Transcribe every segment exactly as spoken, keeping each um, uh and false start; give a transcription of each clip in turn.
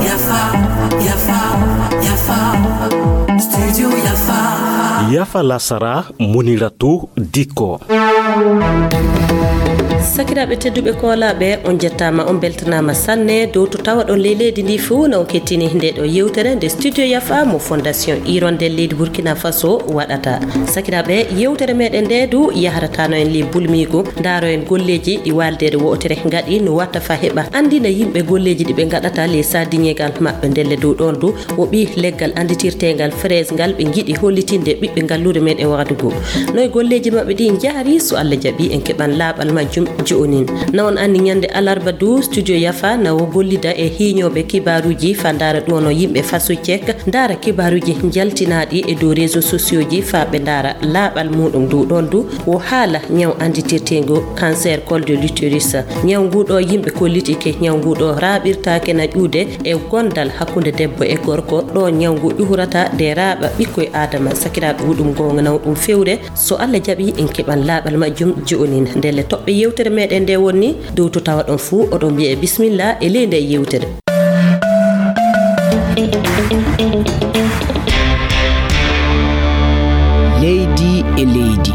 Yafa, Yafa, Yafa, Studio Yafa. Yafa lasara, Muniratu Diko. Sakiraaɓe tedduɓe koolaaɓe, on njettaama, on mbeltanaama sanne dow to tawaɗon ley leydi ndi fuu na on kettini nde ɗo yewtere nde Studio Yafa mo Fondation Hirondelle leydi Burkina Faso waɗata. Sakiraaɓe, yewtere meɗen nde du yaharataano en ley bulmiigu, ndaaro en golleeji ɗi waaldeere wootere ngaɗi no watta fa heɓa anndina yimɓe golleeji ɗi ɓe ngaɗata ley sardiŋeegal maɓɓe. Ndelle dow ɗoon du o ɓii leggal annditirteengal fraise ngal ɓe ngiɗi hollitinde ɓiɓɓe ngalluure meɗen Wagadugu. No e golleeji maɓɓe ɗi njahri, so Allah jaɓi en keɓan laaɓal majjum joonin. Na on anndi ñande alarba du Studio Yafa na o gollida e hiiñooɓe kibaaruuji fa ndaara ɗuwano yimɓe faso cek, ndaara kibaaruuji njaltinaaɗi e dow réseaux sociaux ji fa ɓe ndaara laaɓal muuɗum. Dow ɗoon du o haala ñaw annditirteengu cancer col de l'utérus. Ñaw ngu ɗo yimɓe kollitike ñaw ngu ɗo raaɓirtaake na ƴuude e gondal hakkunde debbo e gorko, ɗo ñaw ngu ƴuhurata nde raaɓa ɓikkoy Aadama. Sakiraaɓe, huɗum goonga naw ɗum fewre, so Allah jaɓi en keɓan laaɓal majjum joonin. Ndelle toɓɓe yewtere meɗen nde wonni dow to tawa ɗon fuu oɗon mbiye bismillah e ley nde yewtere. Leydi e leydi.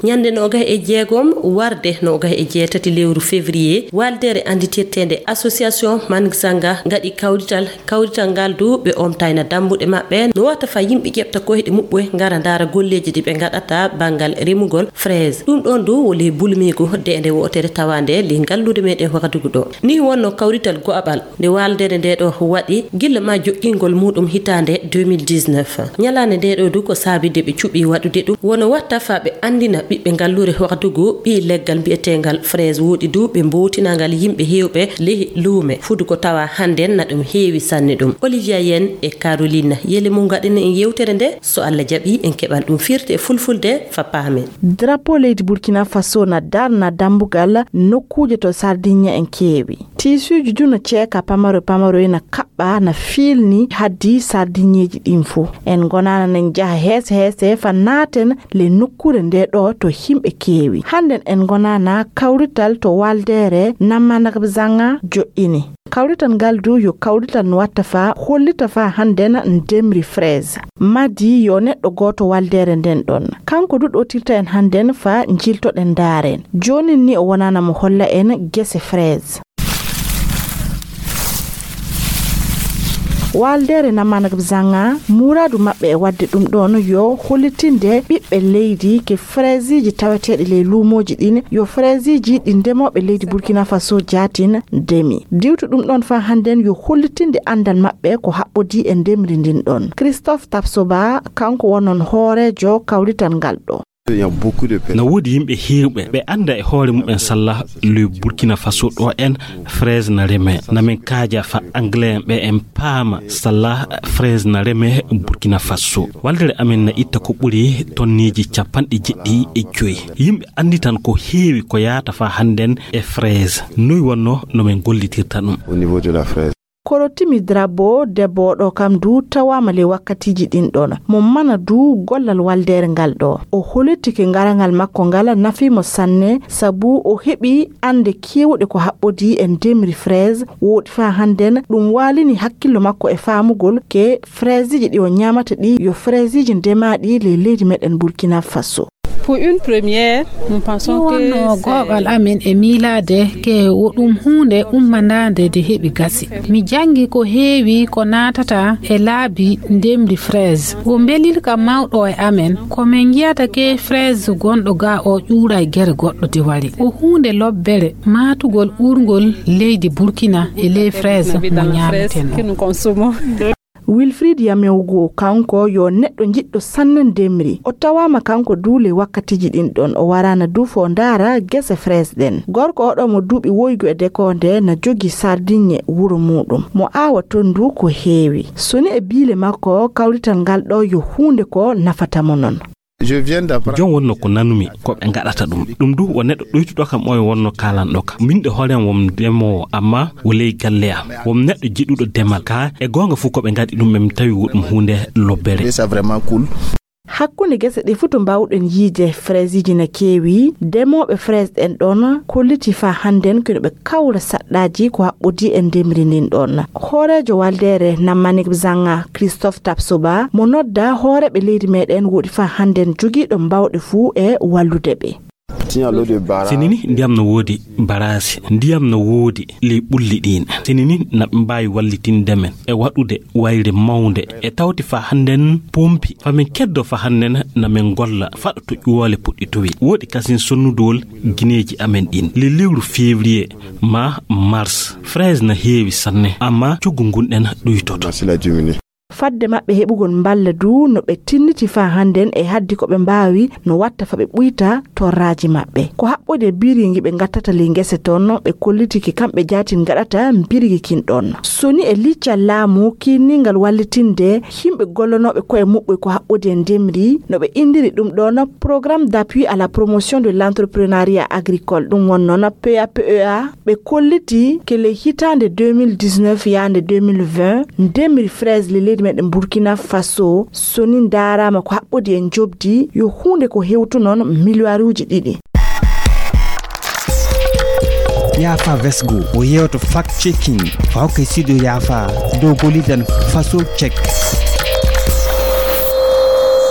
Ñande noogay e jeegom warde noogay e jeetati lewru février, waaldeere annditirteende Association Manzanga ngaɗi kawrital. Kawrital ngal du ɓe omtayna dambuɗe maɓɓe no wata fa yimɓe ƴeɓta koyɗe muɓɓe ngara ndaara golleeji ɗi ɓe ngaɗata banngal remugol fraise. Ɗum ɗoon du wo ley bulmiigu deende wootere tawaande ley ngallude meɗen Wagadugu ɗo. Ni wonno kawrital go'aɓal nde waaldeere nde ɗo waɗi gilla ma joɗɗingol muɗum hitaande deux mille dix-neuf. Ñalaande nde ɗo du ko saabide ɓe cuɓi waɗude ɗum wono watta fa ɓe anndina ɓiɓɓe ngalluure Wagadugu ɓii leggal mbi'eteengal fraise woɗi du ɓe mbowtinangal yimɓe heewɓe ley luume. Fudu ko tawa hannden na ɗum heewi sanne ɗum. Olivia Yen e Caroline Yele mum ngaɗina en yewtere nde, so Allah jaɓi en keɓan ɗum firti e fulfulde fa paamen. Drapeau leydi Burkina Faso na darna dambugal nokkuuje to Sardinia en keewi. Tiisuuji du no ceeka pamaro pamaro ena kaɓɓa na fiilni haddi Sardiniyeeji ɗin fuu. En ngonaana nen jaha heese heese fa naaten le nokkuure nde ɗo to himɓe keewi. Hannden en ngonaana kawrital to waldeere Namanagabzanga joɗɗini. Kawrital ngal du yo kawrital no watta fa hollita fa hannden ndemri fraise. Madi yo neɗɗo gooto waldeere nden ɗon. Kanko du ɗotirta en hannden fa njiltoɗen ndaaren. Joonin ni o wonaana mo holla en gese fraise. Waldeere Namanagabzanga, muraadu maɓɓe e waɗde ɗum ɗoon yo hollitinde ɓiɓɓe leydi ke fraiseji taweteeɗi ley luumooji ɗin, yo fraiseji ɗi ndemooɓe leydi Burkina Faso jaatin ndemi. Diwtu ɗum ɗoon faa hannden yo hollitinde anndal maɓɓe ko haɓɓodii e ndemri ndin ɗoon. Christophe Tapsoba, kanko wonon hooreejo kawrital ngal ɗo. Na woodi yimɓe heewɓe ɓe annda e hoore mumen salla le Burkina Faso ɗo en fraise na reme. Na min kaaja fa anglais en ɓe en paama salla fraise na reme Burkina Faso. Waldere amen na itta ko ɓuri tonneeji capanɗe jeɗɗi e joyi. Yimɓe annditan ko heewi ko yaata fa hannden e fraise. Noy wonno no min gollitirta ɗum? Au niveau de la fraise. Korotimi Drabo, debbo oɗo kam du tawaama ley wakkatiiji ɗin ɗon. Mo mana du gollal waldeere ngal ɗo. O holitike ngarangal makko ngal nafii mo sanne, sabu o heɓi annde keewɗe ko haɓɓodii e ndemri fraise, woɗi faa hannden ɗum waalini hakkillo makko e faamugol ke fraiseji ɗi o ñaamata ɗi yo fraiseji ndemaaɗi ley leydi meɗen Burkina Faso. Pour une première, nous pensons que wonno c'est googol amen e miilaade ke wo ɗum huunde ummandaande nde heɓi gasi. Mi janngi ko heewi ko naatata e laabi ndemri fraise. Wo mbelirka mawɗo e amen, ko min njiyata ke fraise gonɗo ga o ƴuuray gere goɗɗo diwari. Ko huunde lobbere, maatugol uurngol leydi Burkina e ley fraise mo ñaameten o. Wilfried Yamewgo, kanko yo neɗɗo jiɗɗo sanne ndemri. O tawaama kanko du ley wakkatiiji ɗin ɗon. O waraana du fo ndaara gese fraise ɗen. Gorko oɗo mo duuɓi woygu e dekoonde na jogii Sardiɲe wuro muuɗum. Mo aawa ton du ko heewi. So ni e biile makko, kawrital ngal ɗo yo huunde ko nafata mo non. Je viens d'apprendre. Jon wonno ko nanumi ko ɓe ngaɗata ɗum. Ɗum du wo neɗɗo ɗoytuɗo kam oyo wonno kaalanɗo kam. Min de hoore am won ndemoowo, amma wo ley galle am. Won neɗɗo jiɗuɗo demal. Ka e goonga fuu ko ɓe ngaɗi ɗum, ɓe mi tawi wo ɗum huunde lobbere. Ça vraiment cool. Hakkunde gese ɗe fuu to mbaawɗen yiide, fraiseji na keewi. Demooɓe fraise ɗen ɗon kolliti faa hannden kino ɓe kawra saɗɗaaji ko haɓɓodii e ndemri ndin ɗon. Hooreejo waldeere Nammanik Bzanga, Christophe Tapsoba, mo nodda hooreeɓe leydi meɗen, woɗi faa hannden jogiiɗo mbaawɗe fuu e wallude ɓe. Sini ni ndiyam no woodi, baraasi ndiyam no woodi ley ɓulli ɗin. Sini ni na ɓe mbaawi wallitinde men e waɗude wayre mawnde e tawti faa hannden pompi. Faa men keddo faa hannden na men golla faɗo to ƴuwoole puɗɗitowi. Woodi kasin sonnudowol gineeji amen ɗin. Ley lewru février maa mars, fraise na heewi sanne, ammaa coggu ngun ɗen ɗuytoto. Fadde maɓɓe heɓugol mballa du, no ɓe tinniti faa hannden e haddi ko ɓe mbaawi, no watta faa ɓe ɓuyta torraaji maɓɓe. Ko haɓɓodi e birigi ɓe ngattata ley ngese ton, ɓe kolliti ki kamɓe jaatin ngaɗata birigi kin ɗon. Soni e liccal laamu kiiningal wallitinde yimɓe gollanooɓe ko'e muɓɓe ko haɓɓodi e ndemri, no ɓe indiri ɗum ɗon Programme d'appui à la promotion de l'entrepreneuriat agricole, ɗum wonno na P A P E A, ɓe kolliti ke ley hitaande deux mille dix-neuf yaande deux mille vingt, ndemri fraise ley leydi meɗen Burkina Faso, soni ndaaraama ko haɓɓodi e njoɓdi, yo huunde ko hewtu non miliyaaruuji ɗiɗi. Yaafa Vesgo, o yeewto fact checking, faa hokkay sido yaafa dow gollidan Faso Check.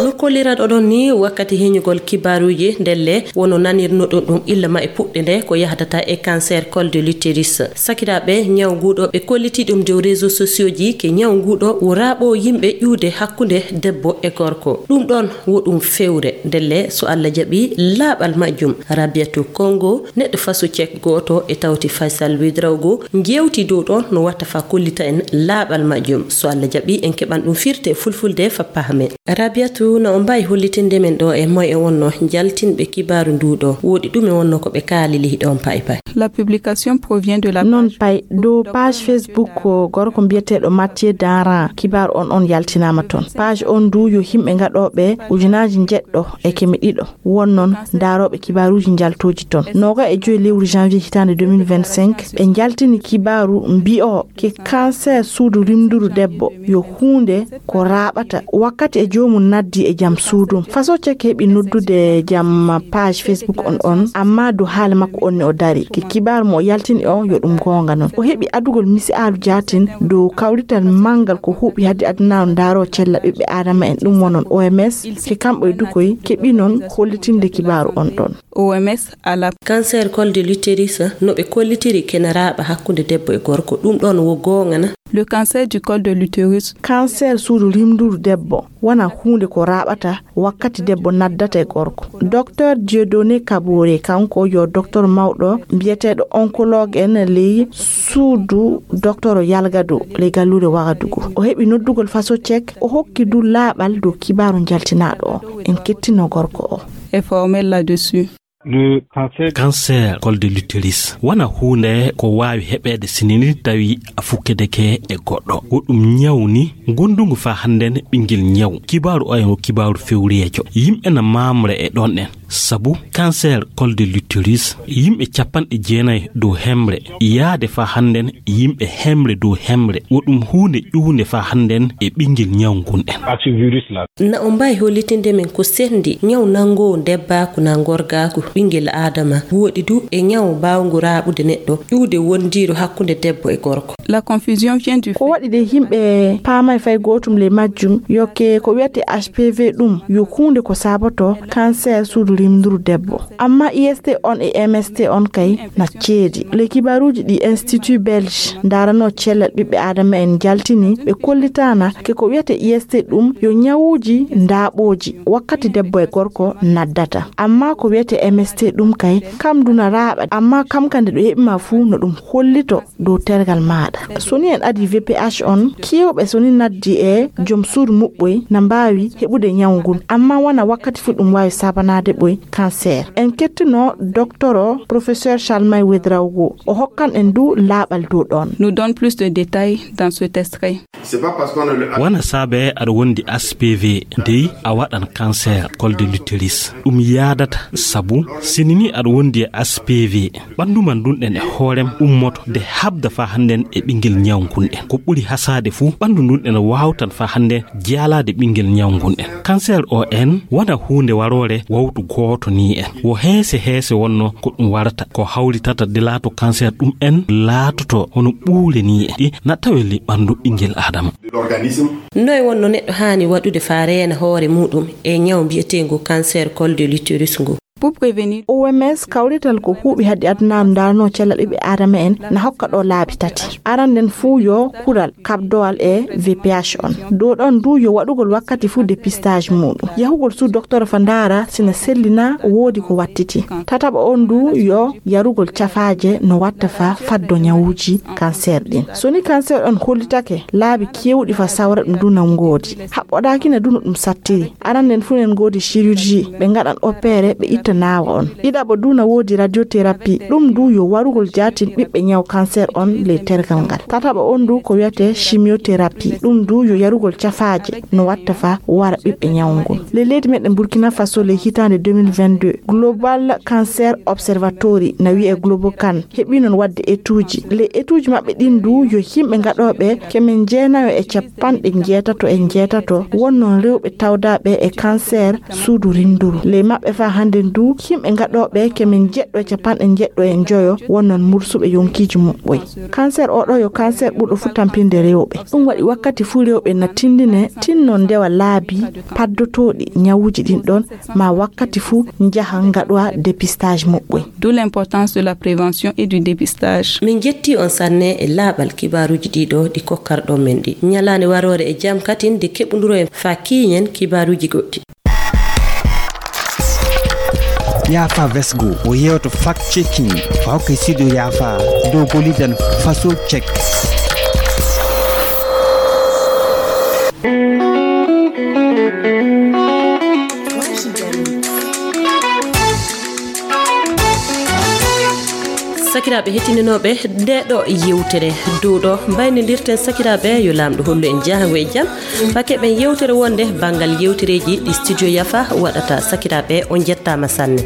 No kolliran oɗon ni wakkati heñugol kibaaruuji, ndelle wono nanirnoɗon ɗum illa ma e puɗɗe nde ko yahdata e cancer col de l'utérus. Sakiraaɓe, ñaw nguɗo ɓe kolliti ɗum dow réseaux sociaux ji ke ñaw nguɗo wo raaɓo yimɓe ƴuude hakkunde debbo e gorko. Ɗum ɗon wo ɗum fewre, ndelle so Allah jaɓi laaɓal majjum. Rabiatu Kongo, neɗɗo Faso Check gooto e tawti Faisal Ouedraogo, jewti dow ɗon no watta faa kollita en laaɓal majjum. So Allah jaɓi en keɓan ɗum firte fulfulde faa pahamen. Rabiatu, na on mbaawi hollitinde men ɗo e moy e wonno jaltinɓe kibaaru ndu ɗo? Woodi ɗume wonno ko ɓe kaalili ɗon pay pay? La publication provient de la Non pay, dow page Facebook ko gorko mbiyeteeɗo Mathieu Daran, kibaaru on on yaltinaama ton. Page on ndu yo yimɓe ngaɗooɓe ujunaaji njeɗɗo e keme ɗiɗo won non ndaarooɓe kibaaruuji njaltooji ton. Nooga e joy lewru janvier hitaande deux mille vingt-cinq, ɓe njaltini kibaaru mbi'o ke cancer suudu rimnduru debbo yo huunde ko raaɓata wakkati e joomum naddi e jam suudum. Faso Check heɓi noddude jam page Facebook on on, amma dow haala makko on ne o dari. Ke kibaaru mo o yaltini o yo ɗum goonga non. O heɓi adugol misi'aalu jaatin dow kawrital manngal ko huuɓi hade adunaaru ndaaroo cella ɓiɓɓe aadama en, ɗum wonon O M S, ke kamɓe e dukoy keɓi non hollitinde kibaaru on ɗon. O M S à la Cancer col de l'utérus, no ɓe kollitiri kena raaɓa hakkunde debbo e gorko, ɗum ɗon wo goonga na? Le cancer du col de l'utérus. Cancer suudu rimnduru debbo wona huunde ko raaɓata wakkati debbo naddata e gorko. Docteur Dieudonné Kaboré, kanko yo docteur mawɗo mbiyeteeɗo oncologue en ley suudu docteur Yalgado ley galluure Wagadugu. O heɓi noddugol Faso Check, o hokki du laaɓal dow kibaaru njaltinaaɗo o. En kettino gorko o. Est formel là-dessus. Le cancer. Cancer col de l'utérus wona huunde ko waawi heɓeede sinini tawi a fukkedeke e goɗɗo. Ko ɗum ñaw ni gondungu faa hannden ɓinngel ñaw. Kibaaru oya ngo kibaaru fewriyeejo. Yimɓe na maamre e ɗon ɗen. Sabu cancer col de l'utérus, yimɓe capanɗe jeenayi dow hemre yaade faa hannden yimɓe hemre dow hemre. Wo ɗum huunde ƴuwunde faa hannden e ɓinngel ñaw ngun ɗen. Parti virus la. Na o mbaawi hollitinde men ko sendi ñaw nanngoowo ndebbaaku na ngorgaaku ɓinngel aadama, woodi du e ñaw mbaawngu raaɓude neɗɗo, ƴuwde wondiiru hakkunde debbo e gorko. La confusion vient du Ko fait waɗi de yimɓe paamay fay gootum ley majjum, yokke ko wiyete H P V ɗum yo huunde ko saboto cancer suudu rimnduru debbo. Amma I S T on e M S T on kay na ceedi. Ley kibaaruuji ɗi Institut Belge ndaranoo cellal ɓiɓɓe aadama en njaltini, ɓe kollitaana ke ko wiyete I S T ɗum yo ñawuuji ndaaɓooji wakkati debbo e gorko naddata. Amma ko wiyete M S T ɗum kay, kam du na raaɓa, amma kam ka nde ɗo heɓi ma fuu no ɗum hollito dow tergal maaɗa. So ni en adii V P H on, keewɓe so ni naddi e jom suudu muɓɓoy na mbaawi heɓude ñaw ngun, amma wona wakkati fuu ɗum waawi sabanaade ɓoy cancer. En kettino docteur o, professeur Chalmay Ouedraogo, o hokkan en du laaɓal dow ɗon. Nous donne plus de détails dans cet extrait. Wona saabe aɗa wondi H P V, dey a waɗan cancer col de l'utérus. Ɗum yaadata sabu sinini aɗa wondi e H P V, ɓanndu ma ndun ɗen e hoorem ummoto de habda faa hannden e ɓinngel ñaw ngun en. Ko ɓuri hasaade fuu, ɓanndu ndun ena waawtan faa hannde jaalaade ɓinngel ñaw ngun en. Kanseer o en wona huunde waroore wawtu gooto nii en. Wo heese heese wonno ko ɗum warata. Ko hawritata de laato kanseer ɗum en laatoto hono ɓuule nii en. Ɗi na tawe ley ɓanndu ɓinngel Aadama. Noy wonno neɗɗo haani waɗude faa reena hoore muuɗum e ñaw mbiyeteengu kanseer col de l'utérus ngu? Pour prévenir. O M S kawrital ko huuɓi haddi adunaaru ndaarnoo cellal ɓiɓɓe aadama en na hokka ɗo laabi tati. Aranden fuu yo kural kaɓdowal e V P H on. Dow ɗon du yo waɗugol wakkati fuu dépistage muuɗum. Yahugol suu docteur fa ndaara sina sellina woodi ko wattiti. Tataɓo on du yo yarugol cafaaje no watta fa faddo ñawuuji kanseer ɗin. So ni kanseer on hollitake, laabi keewɗi fa sawra ɗum du na ngoodi. Haɓɓoɗaaki na du no ɗum sattiri. Aranden fuu nen ngoodi chirurgie, ɓe ngaɗan opéré, ɓe itta naawa on. Ɗiɗaɓo du na woodi radiothérapie, ɗum du yo warugol jaatin ɓiɓɓe ñaw kanseer on ley tergal ngal. Tataɓo on du ko wiyetee chimiothérapie, ɗum du yo yarugol cafaaje no watta fa wara ɓiɓɓe ñaw ngun. Ley leydi meɗen Burkina Faso ley hitaande deux mille vingt-deux, Global Cancer Observatory na wiyee Globocan heɓii non waɗde etuuji. Ley etuuji maɓɓe ɗin du yo yimɓe gaɗooɓe kemen jeenayo e capanɗe njeetato e njeetato wonnon rewɓe tawdaaɓe e kanseer suudu rinnduru. Ley maɓɓe faa hannden du yimɓe gaɗooɓe kemen jeɗɗo e capanɗe njeɗɗo e njoyo wonnon mursuɓe yonkiiji muɓɓoy. Kanseer oo ɗoo yo kanseer ɓurɗo fuu tampinde rewɓe. Ɗum waɗi wakkati fuu rewɓe na tinndine tinno ndewa laabi paddotooɗi ñawuuji ɗin ɗon maa wakkati fuu njaha ngaɗowa dépistage muɓɓoy. D'où l'importance de la prévention et du dépistage. Min njettii on sanne e laaɓal kibaaruuji ɗii ɗoo ɗi kokkarɗon men ɗi. Ñalaande waroore e jam katin de keɓunduroyen faa kiiñen kibaaruuji goɗɗi. Yaafa Vesgo o yeewto fact checking fa hokkay studio Yaafa dow boliden faso check. Sakiraaɓe heɗitinooɓe nde ɗo yewtere dow ɗo mbaynodirten sakiraaɓe yo Laamɗo hollu en jahango e jam. Fa keɓen yewtere wonde banngal yewtereeji ɗi studio Yafa waɗata. Sakiraaɓe, on njettaama sanne.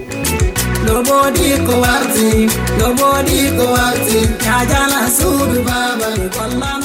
No woodi ko warti, no woodi ko warti, yaa jala suudu baaba mi golla.